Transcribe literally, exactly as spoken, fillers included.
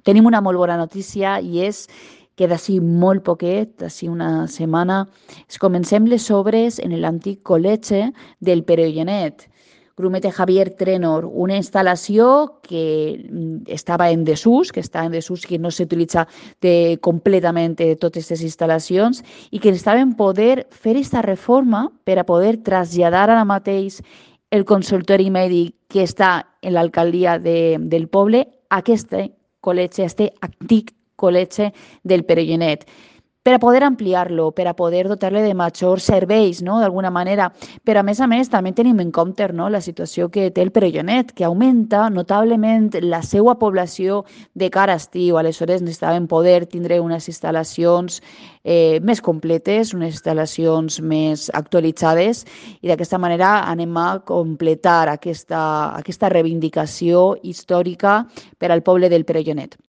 Tenim una molt bona notícia i és que d'ací molt poquet, d'ací una setmana, es comencem les obres en l'antic col·legi del Perellonet. Grumete Javier Trenor, una instal·lació que mm, estava en desús, que està en desús, que no s'utilitza de, completament de totes aquestes instal·lacions i que estaven poder fer aquesta reforma per a poder traslladar ara mateix el consultori mèdic que està en l'alcaldia de, del poble a aquest col·legi, este antic col·legi del Perellonet, per a poder ampliar-lo, per a poder dotar-le de majors serveis, no?, d'alguna manera. Però, a més a més, també tenim en compte, no?, la situació que té el Perellonet, que augmenta notablement la seva població de cara a estiu. Aleshores, necessitàvem poder tindre unes instal·lacions eh, més completes, unes instal·lacions més actualitzades, i d'aquesta manera anem a completar aquesta, aquesta reivindicació històrica per al poble del Perellonet.